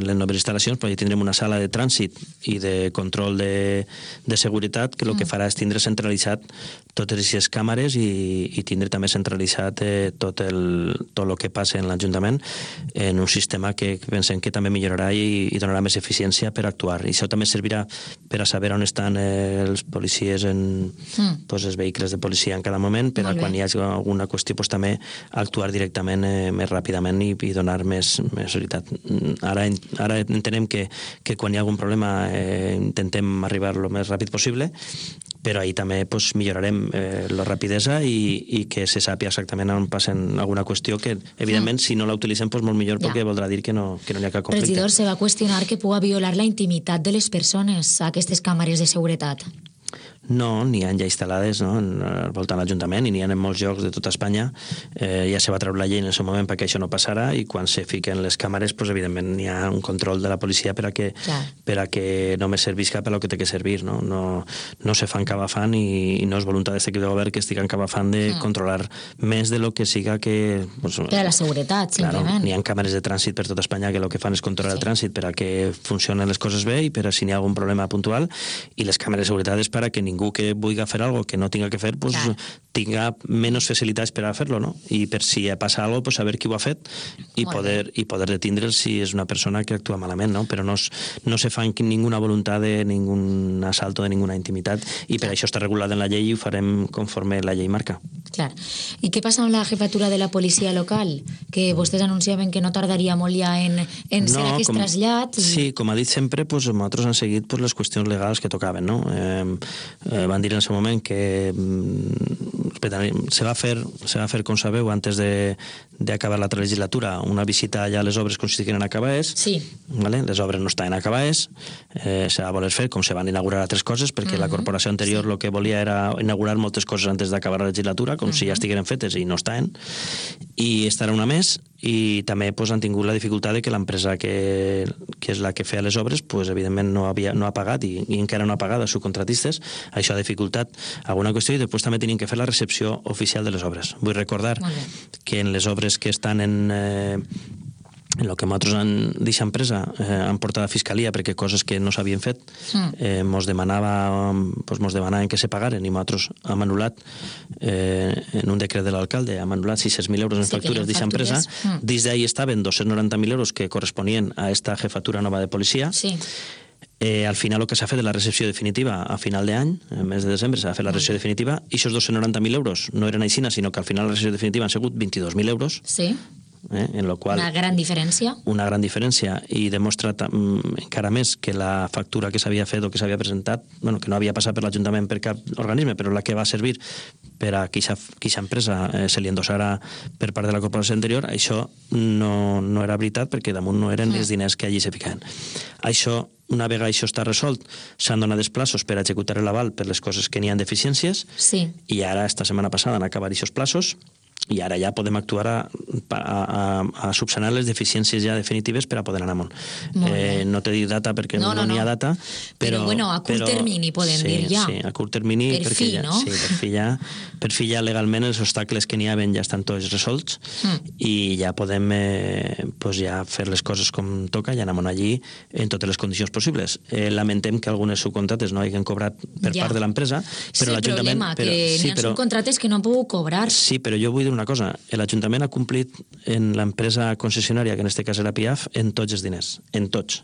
les noves instal·lacions, però hi tindrem una sala de trànsit i de control de seguretat que el que farà és tindre centralitzat totes aquestes càmeres i tindre també centralitzat tot el que passa en l'Ajuntament en un sistema que pensem que també millorarà i donarà més eficiència per actuar. I això també servirà per a saber on estan els policies els vehicles de policia en cada moment, per a quan hi hagi alguna qüestió també actuar directament més ràpidament i donar més veritat. Ara entenem que quan hi ha algun problema intentem arribar el més ràpid possible, però ahir també millorarem la rapidesa i que se sàpiga exactament on passen alguna qüestió que, evidentment, si no la utilitzem, molt millor, perquè voldrà dir que no hi ha cap conflicte. Regidor, se va qüestionar que pugui violar la intimitat de les persones a aquestes càmeres de seguretat. No, n'hi ha ja instal·lades al voltant de l'Ajuntament i n'hi ha en molts llocs de tota Espanya. Ja se va treure la llei en el seu moment perquè això no passarà i quan se fiquen les càmeres, evidentment n'hi ha un control de la policia per a que només servisca per al que té que servir. No se fan cabafant i no és voluntat d'aquest equip de govern que estiguen cabafant de controlar més de lo que siga que... Per a la seguretat, simplement. N'hi ha càmeres de trànsit per tota Espanya que el que fan és controlar el trànsit per a que funcionen les coses bé i per a si n'hi ha algun problema puntual, i les càmeres de seguretat és per a que ningú que vulgui fer alguna cosa que no tinga que fer tinga menys facilitats per a fer-lo, no? I per si passa alguna cosa, saber qui ho ha fet i poder detindre'l si és una persona que actua malament, no? Però no se fa ninguna voluntat de ningun assalto, de ninguna intimitat, i per això està regulat en la llei i ho farem conforme la llei marca. Clar. I què passa amb la jefatura de la policia local? Que vostès anunciaven que no tardaria molt ja en ser aquest trasllat. Sí, com ha dit sempre, nosaltres han seguit les qüestions legals que tocaven, no? Van dir en el seu moment que se va fer, com sabeu, antes d'acabar l'altra legislatura, una visita allà a les obres com si estiguin acabades. Sí. Les obres no estaven acabades, se va voler fer com se van inaugurar altres coses, perquè la corporació anterior el que volia era inaugurar moltes coses antes d'acabar la legislatura, com si ja estigueren fetes i no estaven, i estarà una més. I també han tingut la dificultat de que l'empresa que és la que feia les obres evidentment no ha pagat i encara no ha pagat els subcontratistes. Això ha dificultat alguna qüestió, i després també tenien que fer la recepció oficial de les obres. Vull recordar que en les obres que estan en el que nosaltres d'aquesta empresa han portat a Fiscalia perquè coses que no s'havien fet mos demanaven que se pagaren i nosaltres hem anul·lat en un decret de l'alcalde, hem anul·lat 600.000 euros en factures d'aquesta empresa. Dins d'ahir estaven 290.000 euros que corresponien a esta jefatura nova de policia. Al final el que s'ha fet és la recepció definitiva a final d'any, el mes de desembre s'ha fet la recepció definitiva, i aquests 290.000 euros no eren així, sinó que al final la recepció definitiva han sigut 22.000 euros. Sí. En lo qual, una gran diferència. Una gran diferència, i demostra encara més que la factura que s'havia fet o que s'havia presentat, que no havia passat per l'Ajuntament per cap organisme, però la que va servir per a que aquesta empresa se li endossara per part de la corporació anterior, això no era veritat, perquè damunt no eren els diners que allí se ficaven. Això, una vegada això està resolt, s'han donat els plaços per a executar l'aval per les coses que n'hi ha deficiències, i ara, esta setmana passada, han acabat aquests plaços, i ara ja podem actuar a subsanar les deficiències ja definitives per a poder anar amunt. No t'he dit data perquè no n'hi ha data, però a curt termini podem dir ja. Sí, a curt termini, per fi, no? Per fi ja legalment els obstacles que n'hi havien ja estan tots resolts i ja podem ja fer les coses com toca i anar amunt allí en totes les condicions possibles. Lamentem que algunes subcontrates no hagin cobrat per part de l'empresa, però l'Ajuntament... Sí, el problema, que n'hi ha subcontrates que no han pogut cobrar. Sí, però jo vull dir una cosa, l'Ajuntament ha complit en l'empresa concessionària, que en aquest cas era PIAF, en tots els diners, en tots.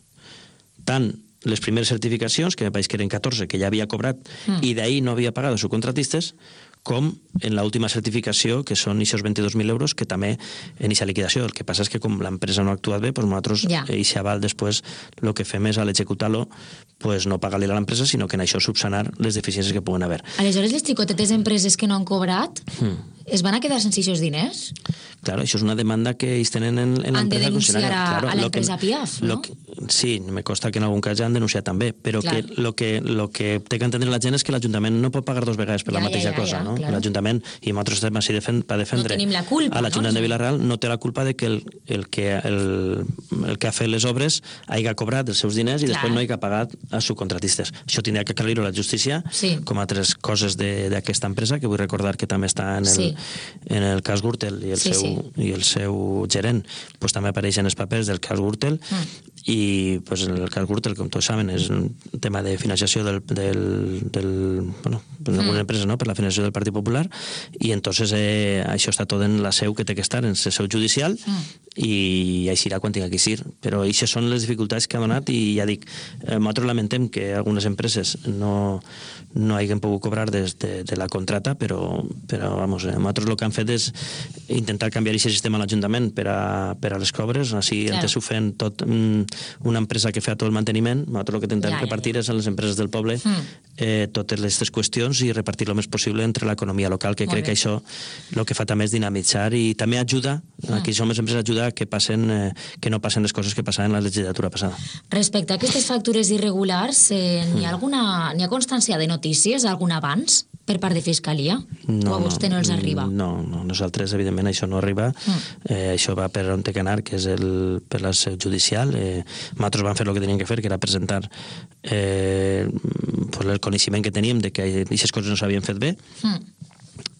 Tant les primeres certificacions, que me pareix que eren 14, que ja havia cobrat, i d'ahir no havia pagat els subcontratistes, com en l'última certificació, que són aquests 22.000 euros, que també en aquesta liquidació. El que passa és que com l'empresa no ha actuat bé, nosaltres, aquest aval després, el que fem és a l'executar-lo, no pagar-li a l'empresa, sinó que en això subsanar les deficiències que puguen haver. Aleshores, les xicotetes empreses que no han cobrat es van a quedar sense aquests diners? Claro, això és una demanda que ells tenen en l'empresa. Han de denunciar a l'empresa PIAF, no? Sí, me consta que en algun cas ja han denunciat també, però el que té que entendre la gent és que l'Ajuntament no pot pagar dues vegades per la mateixa cosa, no? L'Ajuntament, i nosaltres estem així per defendre a l'Ajuntament de Vila-real, no té la culpa de que el que ha fet les obres hagi cobrat els seus diners i després no hagi pagat als subcontratistes. Això tindrà que aclarir-ho a la justícia, com altres coses d'aquesta empresa, que vull recordar que també està en en el cas Gürtel i el seu gerent pues, també apareixen els papers del cas Gürtel i pues, en el cas Gürtel, com tots saben, és un tema de financiació d'alguna empresa, no? Per la financiació del Partit Popular i entonces això està tot en la seu que té que estar, en la seu judicial i així irà quan tinga que ser. Però això són les dificultats que ha donat i ja dic, nosaltres lamentem que algunes empreses no hagin pogut cobrar de la contrata, però vamos, nosaltres el que han fet és intentar canviar aquest sistema a l'Ajuntament per a les cobres, així antes ho feien tot una empresa que feia tot el manteniment, nosaltres el que intentem repartir és a les empreses del poble totes aquestes qüestions i repartir el més possible entre l'economia local, que crec que això el que fa també és dinamitzar i també ajuda, que això més empreses ajuda que no passen les coses que passaven en la legislatura passada. Respecte a aquestes factures irregulars, n'hi ha constància de notícies, algun avanç per part de Fiscalia? O a vostè no els arriba? No, nosaltres evidentment això no arriba, això va per on té que anar, que és per la seu judicial. Nosaltres vam fer el que teníem que fer, que era presentar el coneixement que teníem de que aquestes coses no s'havien fet bé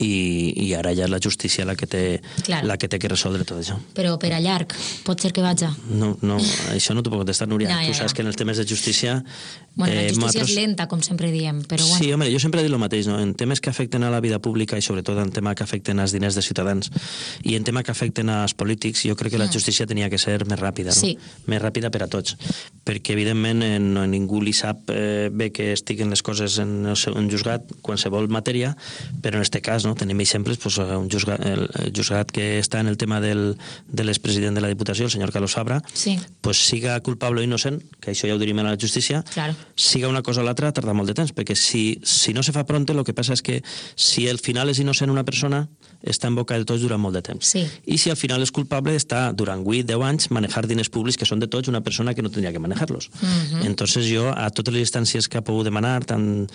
i ara ja és la justícia la que té que resoldre tot això. Però per a llarg, pot ser que vaja? No, això no t'ho puc contestar, Núria. Tu saps que en els temes de justícia... Bueno, la justícia és lenta, com sempre diem, però bueno. Sí, home, jo sempre he dit el mateix, no? En temes que afecten a la vida pública i sobretot en temes que afecten als diners de ciutadans i en temes que afecten als polítics, jo crec que la justícia tenia que ser més ràpida, no? Sí. Més ràpida per a tots. Perquè, evidentment, ningú li sap bé que estiguen les coses en un juzgat, qualsevol matèria, però en aquest cas, no? Tenim exemples, el juzgat que està en el tema de l'expresident de la Diputació, el senyor Carlos Fabra, siga culpable o innocent, que això ja ho dirim a la justícia, siga una cosa o l'altra, tarda molt de temps, perquè si no se fa pronte, el que passa és que si al final és innocent una persona, està en boca de tots durant molt de temps. I si al final és culpable, està durant 8-10 anys manejar diners públics que són de tots una persona que no tindria que manejar-los. Entonces jo, a totes les instàncies que ha pogut demanar, tant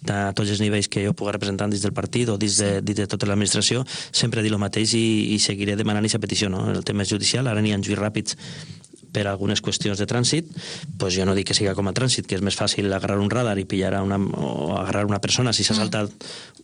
a tots els nivells que jo puc representar dins del partit o dins de tota l'administració, sempre he dit el mateix i seguiré demanant aquesta petició, no? El tema és judicial, ara n'hi ha juís ràpids per algunes qüestions de trànsit, doncs jo no dic que siga com a trànsit, que és més fàcil agarrar un radar i pillar o agarrar una persona si s'ha saltat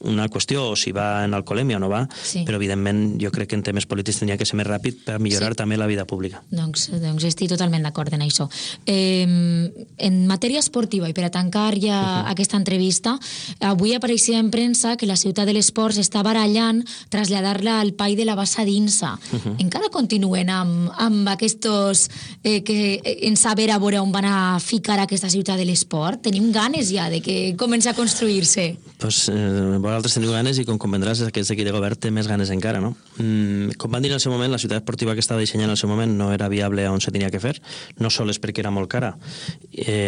una qüestió o si va en alcoholèmia o no va, però evidentment jo crec que en temes polítics tenia que ser més ràpid per millorar també la vida pública. Doncs estic totalment d'acord en això. En matèria esportiva, i per a tancar ja aquesta entrevista, avui apareixia en premsa que la ciutat de l'Esports està barallant traslladar-la al Pai de la Bassa d'Insa. Encara continuen amb aquests que en saber a veure on van a ficar aquesta ciutat de l'esport? Tenim ganes ja de que comenci a construir-se? Doncs vosaltres teniu ganes i com comprendràs aquest equip de govern té més ganes encara, no? Com van dir en el seu moment, la ciutat esportiva que estava dissenyant en el seu moment no era viable on se tenia que fer, no sols perquè era molt cara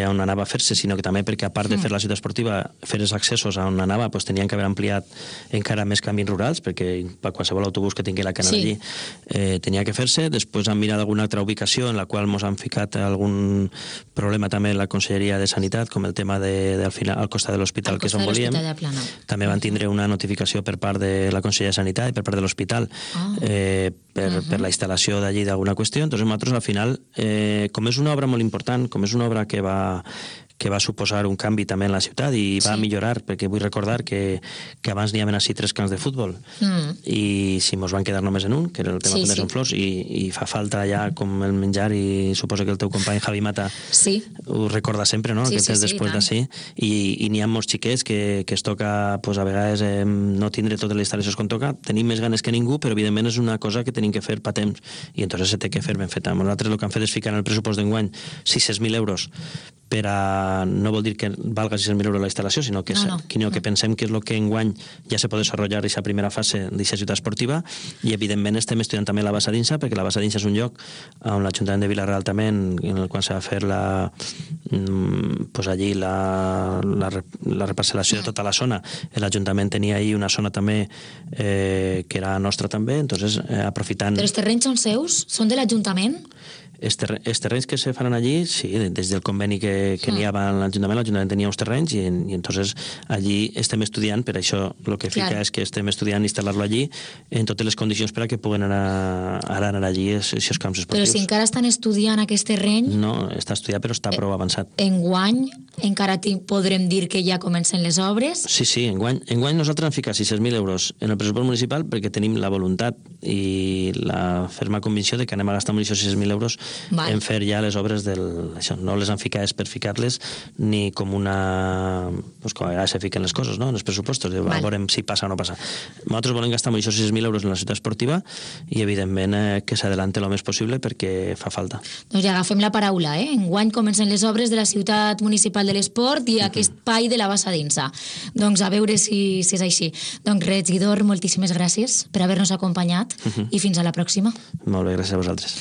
on anava a fer-se, sinó que també perquè a part de fer la ciutat esportiva, fer els accessos on anava, doncs tenien que haver ampliat encara més camins rurals, perquè qualsevol autobús que tingui la cana allí tenia que fer-se. Després han mirat alguna altra ubicació en la qual ens han ficat algun problema també en la Conselleria de Sanitat, com el tema al final al costat de l'hospital, que és on volíem. També van tindre una notificació per part de la Conselleria de Sanitat i per part de l'hospital per la instal·lació d'allí d'alguna qüestió. Entonces nosaltres al final, com és una obra molt important, com és una obra que va suposar un canvi també en la ciutat i va millorar, perquè vull recordar que abans n'hi havia així 3 camps de futbol i si mos van quedar només en un, que era el tema de Flors, i fa falta ja com el menjar, i suposo que el teu company Javi Mata ho recorda sempre, no? Que tens després d'ací, i n'hi ha molts xiquets que es toca a vegades no tindre totes les instal·lacions com toca. Tenim més ganes que ningú, però evidentment és una cosa que tenim que fer pa temps i entonces se té que fer ben feta. Nosaltres el que hem fet és ficar en el pressupost d'enguany 600.000 euros per a... no vol dir que valga 600.000 euros la instal·lació, sinó que pensem que és el que enguany ja se pot desenvolupar aquesta primera fase d'aquesta ciutat esportiva, i evidentment estem estudiant també la Bassa d'Insa, perquè la Bassa d'Insa és un lloc on l'Ajuntament de Vila-real també, en el qual s'ha de fer allí la reparcel·lació de tota la zona. L'Ajuntament tenia ahí una zona també que era nostra també, entonces aprofitant... Però els terrenys són seus? Són de l'Ajuntament? Els terrenys que se faran allí, sí, des del conveni que n'hi havia a l'Ajuntament tenia uns terrenys i entonces allí estem estudiant, per això el que fica és que estem estudiant instal·lar-lo allí en totes les condicions per a que puguen anar allí aquests camps esportius. Però si encara estan estudiant aquest terreny... No, està estudiat però està prou avançat. Enguany encara podrem dir que ja comencen les obres? Sí, enguany nosaltres hem ficat 600.000 euros en el pressupost municipal perquè tenim la voluntat i la ferma convicció de que anem a gastar amb 600.000 euros en fer ja les obres això. No les han ficat per ficar-les ni com una... Pues com a vegades se fiquen les coses, no?, en els pressupostos. Veurem si passa o no passa. Nosaltres volem gastar 600.000 euros en la ciutat esportiva i, evidentment, que s'adelante el més possible perquè fa falta. Doncs ja agafem la paraula, Enguany comencen les obres de la ciutat municipal de l'esport i aquest espai de la Bassa d'Insa. Doncs a veure si és així. Doncs, regidor, moltíssimes gràcies per haver-nos acompanyat i fins a la pròxima. Molt bé, gràcies a vosaltres.